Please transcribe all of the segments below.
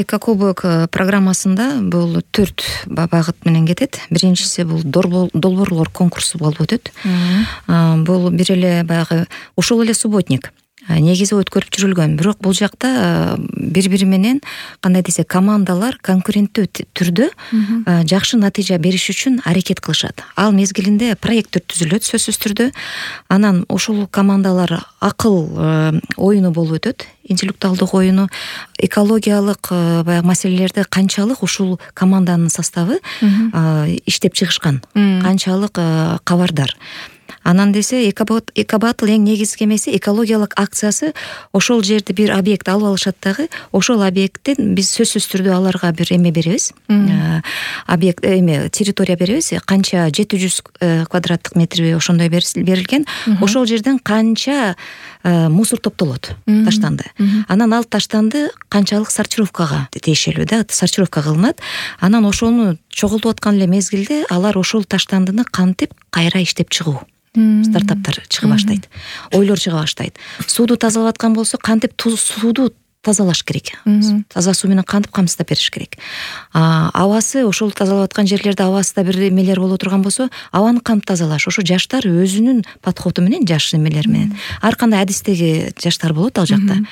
Экокубок программасында бул 4 багыт менен кетет. Биринчиси бул долбоорлор конкурсу болуп өтөт. Бул бир эле баягы ушул эле субботник негизи өткөрүп жүрүлгөн. Бирок бул жакта бири-бири менен кандай десе командалар конкуренттүү түрдө жакшы натыйжа бериш үчүн аракет кылышат. Ал мезгилинде проекттер түзүлөт сөзсүз түрдө. Анан ушул командалар акыл оюну болуп өтөт. Интеллектуалдык оюну, экологиялык баягы маселелерди канчалык ушул команданын составы иштеп чыгышкан, канчалык кабардар. Анан десе Экобатл эң негизги эмеси экологиялык акциясы. Ошол жерде бир объект алып алышат дагы. Ошол объекттен биз сөзсүз түрдө аларга бир эме беребиз. Объект территория беребиз. Канча 700 квадраттык метрби ошондой берилген. Ошол жерден канча мусор топтолот, таштанды. Анан ал таштанды канчалык сортировкага тиешелүү да, сортировка кылынат. Анан ошону чогултуп аткан эле мезгилде алар ошол таштандыны кантип кайра иштеп чыгуу. Стартаптар чыга баштайт. Ойлор чыга баштайт. Сууду тазалап аткан болсо кантип сууду тазалаш керек. Таза суу менен кантип камсыздап бериш керек. Абасы ошол тазалап аткан жерлерде абасында бир эмелер боло турган болсо, абаны кантип тазалаш. Ошо жаштар өзүнүн подходу менен, жаш эмелер менен. Ар кандай адистеги жаштар болот ал жакта.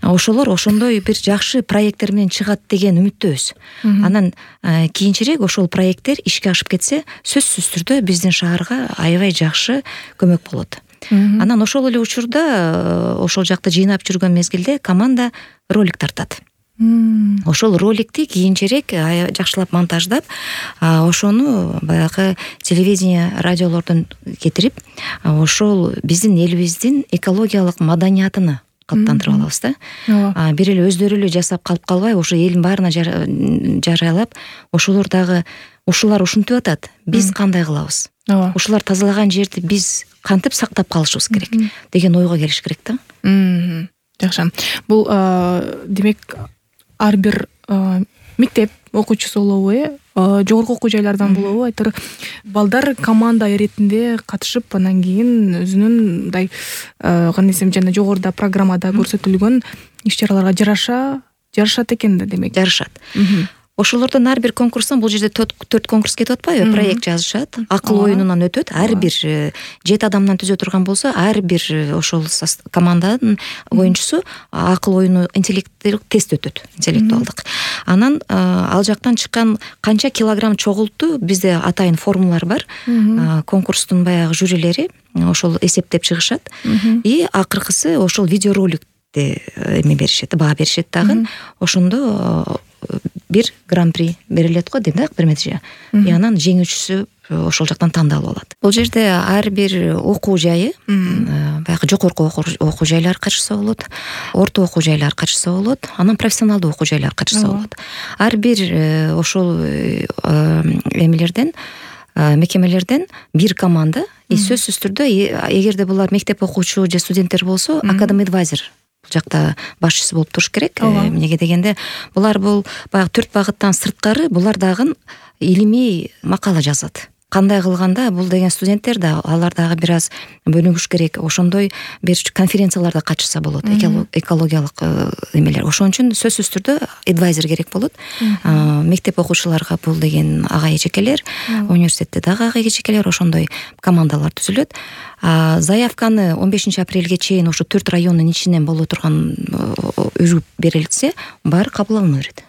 Ошолор ошондой бир жакшы проекттер менен чыгат деген үмүттөбүз. Анан кийинчерээк ошол проекттер ишке ашып кетсе, сөзсүз түрдө биздин шаарга аябай жакшы көмөк болот. Анан ошол эле учурда ошол жакта жыйнап жүргөн мезгилде команда ролик тартат. Ошол роликти кийинчерээк жакшылап монтаждап, ошону баягы телевидение, радиолордон кетирип, ошол биздин элибиздин экологиялык маданиятыны калыптандырып алабыз да. Бир эле өздөрү эле жасап калып калбай, ошо элдин баарына жарыялап, ошолор дагы ушулар ушинтип атат. Биз кандай кылабыз? Ушулар тазалаган жерди биз кантип сактап калышыбыз керек деген ойго келиш керек да. Жакшы. Бул демек ар бир мектеп окуучусу болобу, жогорку окуу жайлардан болобу, айтыр балдар команда иретинде катышып, анан кийин өзүнүн мындай кандай десем жана жогоруда программада көрсөтүлгөн иш-чараларга жарашат экен да, демек. Жарышат. Ошолордон ар бир конкурстан, бул жерде 4 конкурс кетип атпайбы? Проект жазышат, акыл оюнунан өтөт. Ар бир 7 адамдан түзө турган болсо, ар бир ошол команданын оюнчусу акыл оюну интеллектуалдык тест өтөт, интеллектуалдык. Анан ал жактан чыккан канча килограмм чогулту, бизде атайын формулалар бар. Конкурстун баягы жюрилери ошол эсептеп чыгышат. И акыркысы ошол видеороликти эме беришет, баа беришет дагы. Ошондо бир гран-при берилет го дейм да, бир меджи. И анан жеңүүчүсү ошол жактан тандалып алат. Бул жерде ар бир окуу жайы, баягы жогорку окуу жайлар катышса болот, орто окуу жайлар катышса болот, анан профессионалдуу окуу жайлар катышса болот. Ар бир ошол эмелерден, мекемелерден бир команда, сөзсүз түрдө эгерде булар мектеп окуучу же студенттер болсо, академ адвайзер жакта башчысы болуп туруш керек. Эмнеге дегенде, булар бул баягы 4 багыттан сырткары булар дагы илимий макала жазат. Кандай кылганда бул деген студенттер да, алар дагы бир аз бөлүнгүш керек. Ошондой бир конференцияларда катышса болот, экологиялык эмелер. Ошон үчүн сөзсүз түрдө адвайзер керек болот. Мектеп окуучуларга бул деген ага эжекелер, университетте дагы ага эжекелер, ошондой командалар түзүлөт. Заявканы 15 апрелге чейин ошо 4 райондун ичинен боло турган үзүп берилсе, баары кабыл алына берет.